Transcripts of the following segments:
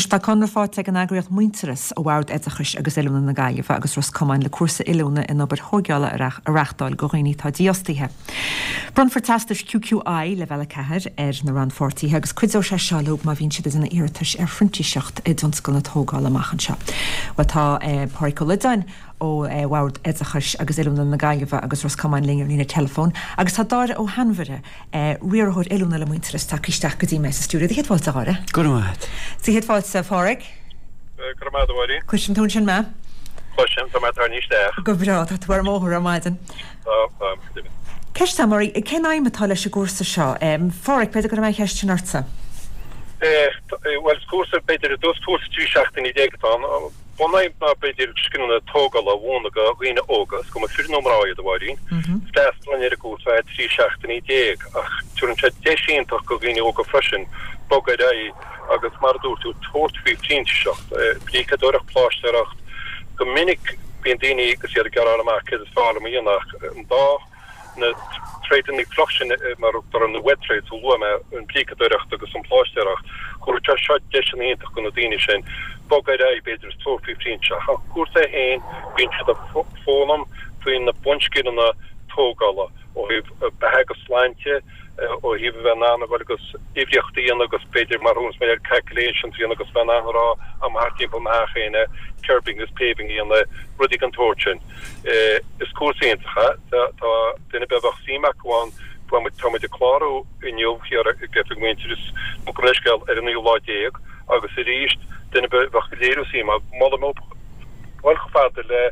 tá conradh faighte ag an eagraíocht Muintearas ó Bhord Oideachais agus Oiliúna na Gaillimhe agus Ros Comáin le cúrsa oiliúna in obair thóigeála a reachtáil do dhaoine atá dífhostaithe. Bronnfar teastais QQI Leibhéal 4 ar na rannpháirtithe agus cuideoidh sé seo leo má bhíonn siad ag déanamh iarratais ar phrintíseacht i dtionscal na tógála amach anseo. Bhuel tá Páraic Ó Loideáin ó Bhord Oideachais agus Oiliúna na Gaillimhe agus Ros Comáin linn ar líne teileafóin agus tá Dáire Ó hAinmhire, riarthóir oiliúna le Muintearas, tagtha isteach go dtí mé sa stiúideo. Céad fáilte a Dháire. Go raibh maith agat. Céad fáilte a Pháraic. Go raibh maith agat a Mháirín. Cloiseann tú ansin mé? Cloisim, tá mé ag tarraingt isteach. Go breá, tá tú ar an mbóthar ar maidin. Tá, tá, go deimhin. Ceist agam oraibh, cén aidhm atá leis an gcúrsa seo? Pháraic, b'fhéidir go raibh mé an cheist sin ortsa. Bhuel, is cúrsa, b'fhéidir, i dtús cúrsa 13 seachtainí atá ann. Bunaidhm ná b'fhéidir scileanna tógála a mhúineadh do dhaoine óga, is cuma fir nó mná iad, a Mháirín. Freastalann ar an gcúrsa ar feadh 13 seachtainí ach tabharann sé deis iontach do dhaoine óga freisin bogadh ar aghaidh agus mar a dúirt tú, tabhairt faoi phrintíseacht, bríceadóireacht, pláistéireacht. Go minic bíonn daoine agus iad ag gearán amach céard is fearr liom a dhéanamh ach an dá na tréideanna fliuch sin mar a thugtar na wet trades a luaigh mé, an bhríceadóireacht agus an phláistéireacht, thabharfadh sé seo deiseanna iontach do na daoine sin bogadh ar aghaidh, b'fhéidir, is tabhairt faoi phrintíseacht. An cúrsa é féin, bíonn siad ag foghlaim faoi na bunscileanna tógála ó thaobh beatha agus sláinte, ó thaobh a bheith in ann a dhul agus uimhríocht a dhéanamh agus b'fhéidir mar thuas mé ar calculations a dhéanamh agus bheith in ann a rá am thart timpeall mo theach féin kerbing agus paving a dhéanamh, rudaí den tsórt sin. Is cúrsa iontach é. Tá duine ar bith a bheadh suim acu ann, tá muid ag clárú inniu thiar ag oifig Mhuintearas, nó gabh mo leithscéal, ar an naoú lá déag agus arís duine ar bith a bheadh ag léiriú suim, molaim dul chomh fada le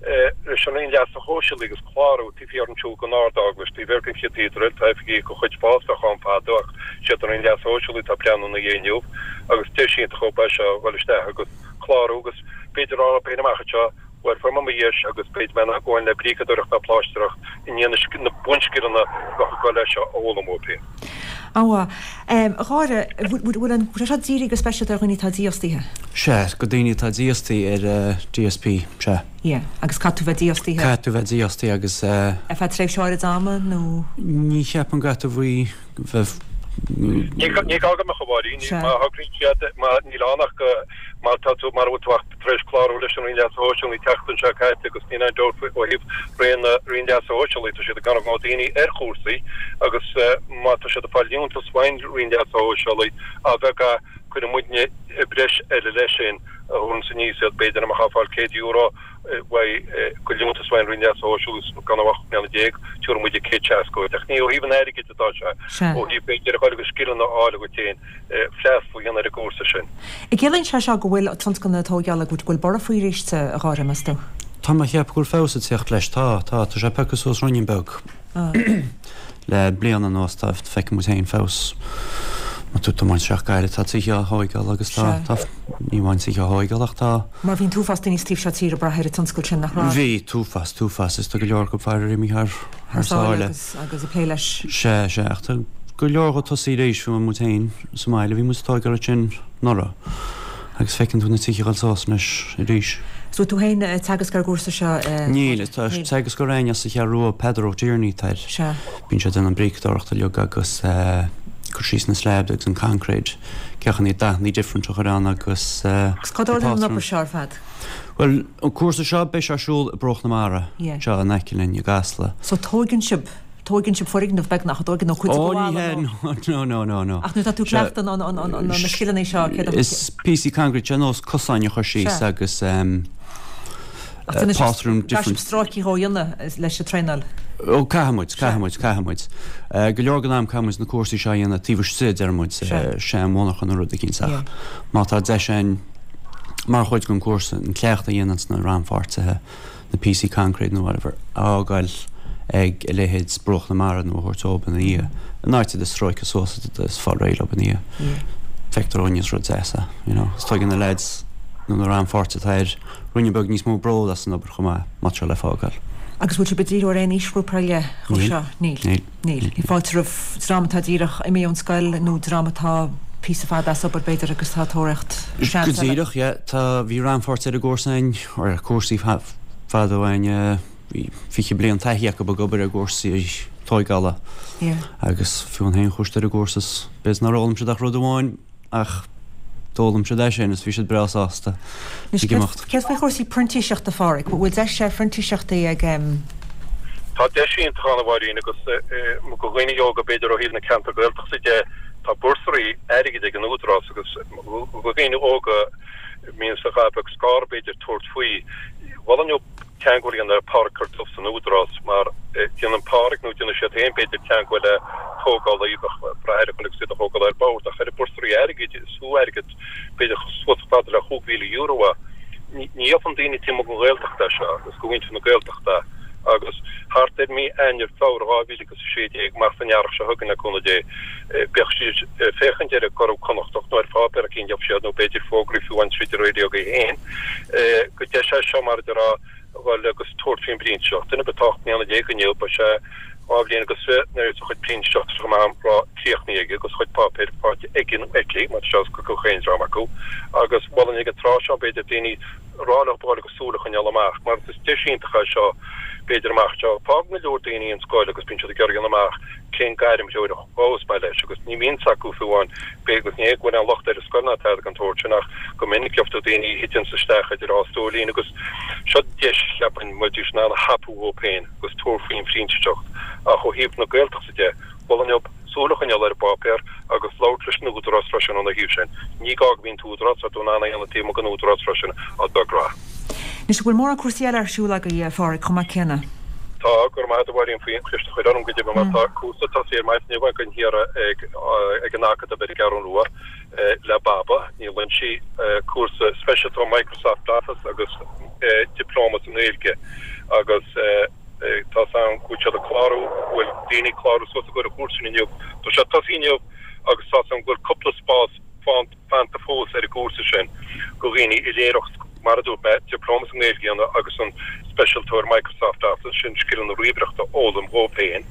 leis an Roinn Leasa Shóisialaigh agus clárú taobh thiar ansiúd den Ard-Eaglais, taobh thiar den Chathedral, tá oifigí de chuid FÁS a bheadh ann fadó ach siad an Roinn Leasa Shóisialaigh atá ag breathnú ina dhiaidh inniu agus deis iontach ab ea seo a dhul isteach agus clárú agus b'fhéidir a rá leo féin amach anseo Bhuel, fuair mé mo dheis agus beidh mé in ann gabháil le bríceadóireacht ná pláistéireacht i ndiaidh na bunscileanna a bheadh ag dul leis seo a fhoghlaim uathu féin. An-mhaith. A Dháire, bhfuil an, bhfuil sé seo dírithe go speisialta ar dhaoine atá dífhostaithe? Sea, go daoine atá dífhostaithe ar DSP, sea. Yeah, agus caithfidh tú bheith dífhostaithe? Caithfidh tú bheith dífhostaithe agus. Ar feadh tréimhse áirid ama nó? Ní cheapaim go gcaithfidh tú bheith. Ní gá go mbeadh, a Mháirín. Má thograíonn siad, má, níl ann ach go, má tá tú, mara bhfuil tú ach tar éis clárú leis an Roinn Leasa Shóisialaigh an tseachtain seo caite agus níl aon dabht ó thaobh Roinn na Roinn Leasa Shóisialaigh, tá siad ag tarraingt daoine ar chúrsaí agus má tá siad ag fáil liúntas ón Roinn Leasa Shóisialaigh, a bheag é, cuireann muidne breis eile leis sin a thabharanns aníos iad, b'fhéidir dá mbeadh ag fáil €100 uaidh de liúntas ón Roinn Leasa Shóisialaigh gan 18 mbliana, tabharfaidh muide 160 dhuit. Ach ní ó thaobh an airgid atá sé, ó thaobh b'fhéidir a dhul agus scileanna a fháil dhuit féin. freastal a dhéanamh ar an gcúrsa sin. An gciallaíonn sé seo go bhfuil tionscal na tóigeála, go bhfuil borradh faoi arís, a Dháire, meas tú? Tá mé ag ceapadh go bhfuil feabhas ag tíocht leis. Tá, tá. Tá sé pioctha suas ruainnín beag le bliain anuas. Tá, feiceann muid féin feabhas. Má tá tú ag tiomáint isteach Gaillimh, tá tithe á thóigeáil agus tá, tá, ní amháin tithe á thóigeáil ach tá. Mar bhí an t-uafás daoine sa taobh seo tíre ag brath ar an tionscal sin, nach raibh? Bhí, t-uafás, t-uafás. Is tá go leor acu faraor imithe thar, thar sáile. Agus ag plé leis. Sea, sea, ach tá go leor ag tosaí arís, fiú muid féin sa mbaile, bhí muid ag tóigeáil ansin anuraidh agus feiceann tú na tithe ag dul suas anois arís. Is bhfuil tú féin ag teagasc ar an gcúrsa seo? Níl, tá teagascóir againn as an Cheathrú Rua, Peadar Ó Tiarnaigh atá air. Sea. Bíonn sé ag déanamh an bríceadóireacht uilig agus cur síos na slabs agus an concrete, cén chaoi na dathanna different a chur ann agus. Agus cá dtarlaíonn an obair seo ar fad? Bhuel, an cúrsa seo, beidh sé ar siúl i Bruach na Mara, anseo in aice linn i gCasla. So tóigeann sibh, tóigeann sibh foirgneamh beagnach, an dtóigeann nó cuid de Ó, ní hea, no, no, no, no. Ach nuair atá tú ag cleachtadh an, an, an, na scileanna seo, céard a. Is píosaí concrete, sé nós cosáin a chur síos agus Ach déanann sibh, caithfidh sibh stráicí dhó a dhéanamh leis an traenáil. Ó, caithfidh muid, caithfidh muid, caithfidh muid. Go leor den am caithfidh muid na cúrsaí seo a dhéanamh taobh istigh, deir muid, sean-mhonarcha nó rud eicínt ach má tá deis againn, mar chuid den chúrsa, an cleachtadh a dhéananns na rannpháirtithe, na píosaí concrete nó whatever, a fhágáil ag a leithéid Bruach na Mara nó a thabhairt dóibh ina dhiaidh, in áit iad a stróiceadh suas is fáil réidh leo ina dhiaidh. Feictear dhúinne is rud deas é, you know. Is tuigeann na lads nó na rannpháirtithe atá air ruainne beag níos mó bród as an obair chomh maith, má tá sé le fágáil. Agus bhfuil sibh ag díriú ar aon aoisghrúpa ar leith dhó seo? Níl. Níl. Níl. Níl fáilte roimh dream atá díreach imithe ón scoil nó dream atá píosa fada as obair b'fhéidir agus atá ag tóraíocht seans eile. Go díreach, yeah. Tá, bhí rannpháirtí ar an gcúrsa againn, ar cúrsaí fada ó shin, bhí 20 bliain taithí acu ag obair ar gcúrsaí tóigeála. Yeah. Agus fiú an féin chuaigh siad ar an gcúrsa is b'fhéidir nár fhoghlaim siad ach rud amháin ach. D'fhoghlaim siad é sin is bhí siad breá sásta ag imeacht. Céard faoi chúrsaí printíseachta, a Pháraic? Bhfuil deis ar phrintíseachtaí ag. Tá deis iontach ann a Mháirín agus do dhaoine óga b'fhéidir ó thaobh na ceantar Gaeltachta de, tá búrsaraí airgid ag an Údarás agus do dhaoine óga a mbíonn a dhath beag scanradh b'fhéidir tabhairt faoi. Mholfainn leo teagmháil a dhéanamh le Páraic Carduff san Údarás mar déanann Páraic nó déanfaidh siad féin b'fhéidir teagmháil le tógálaí bheadh brath ar a chun agus iad a thógáil ar bord ach ar an búrsaraí airgid is fiú airgead b'fhéidir suas chomh fada le €5,000 é. Ní gheobhann daoine taobh amuigh den Ghaeltacht é seo agus do mhuintir na Gaeltachta agus thart ar mí Eanáir, Feabhra 2016, amach san earrach seo chugainn le cúnamh Dé, beidh siad ag féachaint ar an gCuradh Connachtach nó ar pháipéar eicínt gheobhaidh siad nó b'fhéidir fógraí fiú amháin tríd an raidió féin gur deis é seo mar a déarfá a dhul agus tabhairt faoin bprintíseacht. Duine ar bith atá 18 mbliana inniu, beidh sé 2 bhliain agus 20 nuair a bheas a chuid printíseachta seo amach críochnaithe aige agus a chuid páipéir faighte aige nó aici, mar tá sé oscailte do chaon dream acu. Agus mholfainn ag an tráth seo, b'fhéidir, daoine a rá leo dul agus súil a choinneáil amach, mar is deis iontach é seo, b'fhéidir, amach anseo. Fágann go leor daoine an scoil agus bíonn siad ag iarraidh a dhéanamh amach cén gairm threoir a ghabhfas mé leis agus ní bhíonn 's acu fiú amháin, b'fhéidir agus ní hé go bhfuil aon locht ar an scoil ná tada den tsórt sin ach go minic gheobhaidh tú daoine a thiteanns isteach idir dhá stóilín agus seo deis, cheapfainn, mbeidís in ann a thapú dhóibh féin agus tabhairt faoin phrintíseacht ach ó thaobh na Gaeltachta de, mholfainn leo súil a choinneáil ar an bpáipéar agus labhairt leis an Údarás freisin ina thaobh sin. Ní gá go mbíonn t-údarás, tá tú in ann é a dhéanamh taobh amuigh den Údarás freisin dá dtiocfá. Anois, an bhfuil mórán cúrsaí eile ar siúl agaibh, a Pháraic, chomh maith céanna? Tá, go raibh maith agat a Mháirín faoin cheist a chur orm, go deimhin mar tá cúrsa tosaithe ar maidin inniu againn thiar ag an Acadamh ar an gCeathrú Rua le Baba Ní Loinsigh, cúrsa speisialta Microsoft Office agus Dioplóma sa nGaeilge agus tá 's agam go bhfuil siad ag clárú, go bhfuil daoine ag clárú suas i gcomhair an chúrsa sin inniu. Tá sé tosaithe inniu agus tá 's agam go bhfuil cúpla spás fanta. fanta fós ar an gcúrsa sin do dhaoine a d'iarrfadh, mar a dúirt mé, Dioplóma sa nGaeilge a dhéanamh agus an speisialtóir Microsoft Office, sin scileanna ríomhaireachta a fhoghlaim dhóibh féin.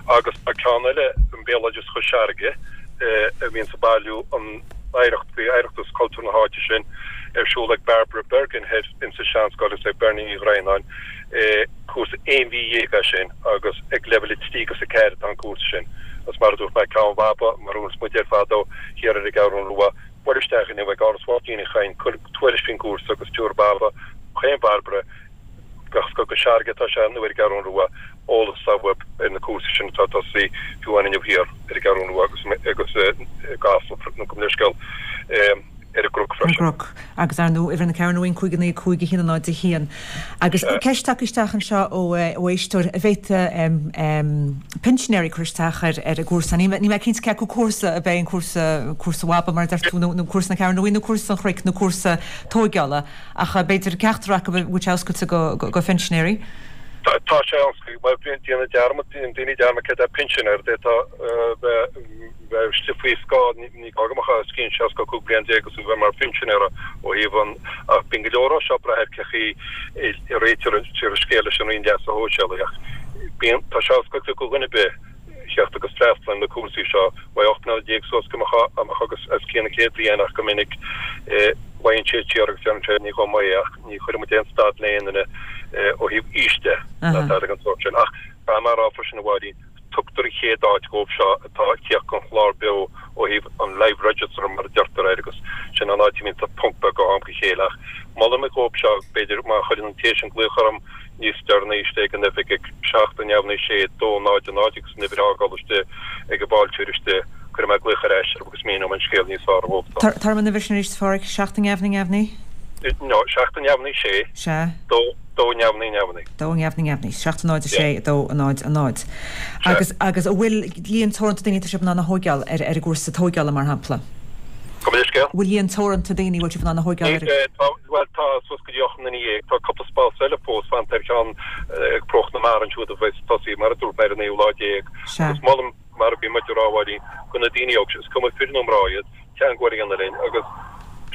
Agus tá ceann eile, an Béaloideas Chois Fharraige, a bhíonns ag bailiú an oidhreacht faoi oidhreacht agus cultúr na háite sin, ar siúl ag Barbara Bergin thoir insa Seanscoil agus ag Bernie Ní Dhroighneáin. Cúrsa aon mhí dhéag é sin agus ag leibhéal 3 agus 4 atá an cúrsa sin. Agus mar a dúirt mé, ceann Bhaba, mar a bhfuil muid ar fad ó thiar ar an gCeathrú Rua, buail isteach inniu ag Áras Mháirtín Uí Chadhain, cuir tuairisc faoin gcúrsa agus tabharfaidh Baba, chaon Bharbara, gach scoth go Searg atá sé nó ar an gCeathrú Rua, eolas atá uaibh ar na cúrsaí sin atá ag tosaí fiú amháin inniu thiar ar an gCeathrú Rua agus agus i gCasla, nó gabh mo leithscéal. ar an gCnoc freisin. Ar an gCnoc. Agus ar ndóigh, uimhir na Ceathrún Rua 5 9 5 1 0 1. Agus ceist tagtha isteach anseo ó éisteoir, an bhféadfadh pinsinéirí cur isteach ar an gcúrsa. Níl mé cinnte cé acu cúrsa ab é an cúrsa, cúrsa Bhaba mar a deir tú, nó cúrsa na Ceathrún Rua nó cúrsa an Chnoic nó cúrsa tóigeála. Ach b'fhéidir ceachtar acu a bhfuil sé oscailte go phinsinéirí. Tá sé oscailte. Bhuel, déanann dearmad, déanann daoine dearmad céard é pinsinéir. D'fhéadfá bheith. bheith istigh faoi scáth, ní gá go mbeadh os cionn 65 bliain agus a bheith mar phinsinéara ó thaobh an, ach bíonn go leor ó seo ag brath ar cé chaoi a réitear an scéal leis an Roinn Leasa Shóisialaigh ach bíonn, tá sé oscailte do dhuine ar bith theacht agus freastal ar na cúrsaí seo, uaidh 18 mbliana suas go mbeadh agus os cionn an 100 bliain ach go minic luíonn siad siar agus deireann sé ní dhom é ach ní chuireann muid aon stad le aon duine ó thaobh aois de ná tada den sórt sin ach caithfidh mé a rá freisin a Mháirín Tugtar an chéad áit dhóibh seo atá ag tíocht don chlár beo ó thaobh an live register mar a deirtear air agus sin an áit a mbíonn ponc beag ó am go chéile ach molaim dhóibh seo b'fhéidir má chuireann an té sin glaoch orm níos deireanaí istigh ag an oifig ag 7 0 9 6 2 0 0 agus an uimhir a fhágáil istigh ag an bhfáilteoir istigh cuirfidh mé glaoch ar ais orthu agus míneoidh mé an scéal níos fearr dhóibh. Tabhair dom an uimhir sin arís a Pháraic, 7 0 0 9? No, 7 0 9 6 2 2 0 0 9. 2 0 0 7 0 6 2 0 0. Agus agus an bhfuil líon teoranta daoine atá sibh in ann a thóigeáil ar ar an gcúrsa tóigeála mar shampla? Gabh mo leithscéal? Bhfuil líon teoranta daoine a bhfuil sibh in ann a thóigeáil ar an. Tá, bhuel tá suas go dtí 18 nduine. Tá cúpla spás eile fós fanta ar cheann ag Promhach na Mara ansiúd a bheas ag tosaí mar a dúirt mé ar an naoú lá déag. Agus molaim mar a bhí muid ag rá a Mháirín, do na daoine óga, is cuma fir nó mná iad, teagmháil a dhéanamh linn agus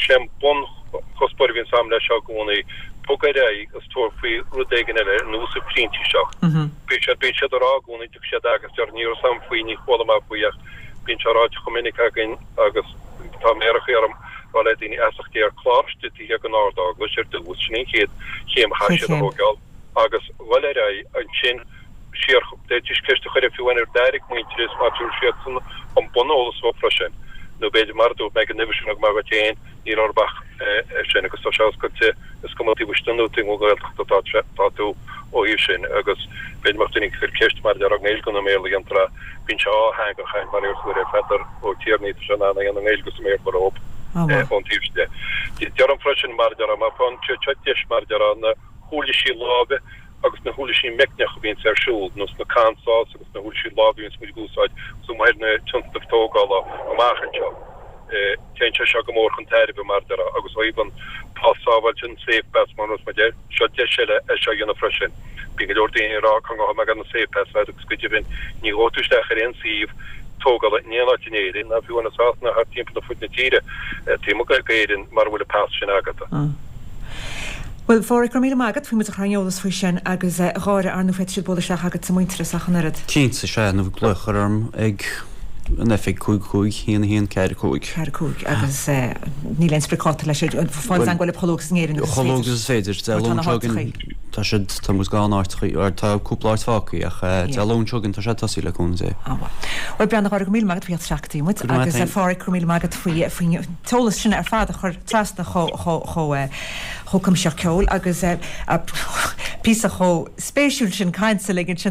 sé an bunchuspóir a bhíonns a'm leis seo i gcónaí, bog ar aghaidh agus tabhair faoi rud éigin eile ar nós an phrintíseacht. Bíonn siad, bíonn siad ag rá i gcónaí, tiocfaidh siad agus deir ní raibh 's a'm faoi, ní chuala mé faoi ach bíonn sé ráite chomh minic againn agus tá méarachaí orm rá le daoine feasacht Dé ar clár istigh taobh thiar den Ard-Eaglais ar dtús, sin an chéad chéim a chaithfidh siad a thógáil agus dhul ar aghaidh ansin siar, d'fhéadfaidís ceist a chur fiú amháin ar d'airigh Muintearas má tabharfaidh siadsan an buneolas dóibh freisin. Nó b'fhéidir, mar a dúirt mé ag an uimhir sin a thug mé dhuit féin, níl orthu ach é sin agus tá sé oscailte, is cuma taobh istigh nó taobh amuigh den Ghaeltacht atá tá tú ó thaobh sin agus b'fhéidir mbeadh duine ag cur ceist mar a déarfá i nGaeilge nó i mBéarla a dhéantar é, bíonn sé dhátheangach mar a deir Peadar Ó Tiarnaigh tá sé in ann é a dhéanamh i nGaeilge agus i mBéarla rompu ón taobh sin de. Deirim freisin mar a déarfá má tá seo deis mar a déarfá na huirlisí láimhe agus na huirlisí meicneacha a bhíonns ar siúl, nós na handsaws agus na huirlisí láimhe a bhíonns muid ag úsáid amuigh ar na tionscnaimh tógála amach anseo. Téann sé seo go mór chun tairbhe, mar a déarfá, agus ó thaobh an pas sábháilte, an Safe Pass mar a nós muid air, seo deis eile é seo a dhéanamh freisin. Bíonn go leor daoine ag rá cá ngabhfaidh mé gan an Safe Pass a fháil agus go deimhin ní ghabhfaidh tú isteach ar aon suíomh tógála in aon áit in Éirinn, ná fiú amháin i Sasana thart timpeall ar fud na tíre, taobh amuigh d'Éirinn mura bhfuil an pas sin agat. Bhuel, a Pháraic, go raibh míle maith agat faoi muid a chur ar an eolas faoi sin agus, a Dháire, ar ndóigh féadfaidh siad bualadh isteach agat sa Muintearas ach an oiread. Cinnte, sea, nó glaoch a chur orm ag an oifig 5 5 1 1 4 5. 4 5 agus níl aon spriocdháta leis, fáil i dteagmháil libh chomh luath agus in Éirinn agus is féidir. Chomh luath agus is féidir, Dé Luain seo chugainn tá siad, tá muid gann áiteachaí, tá cúpla áit fágtha ach Dé Luain seo chugainn tá sé ag tosaí le cúnamh Dé. Á bhuel. Bhuel, Breandán, a Dháire, go raibh míle maith agat faoi theacht isteach go dtí muid agus a Pháraic, go raibh míle maith agat faoi faoin t-eolas sin ar fad a chur trasna chomh chomh cuimsitheach ceoil agus píosa chomh spéisiúil sin cainte linn ansin.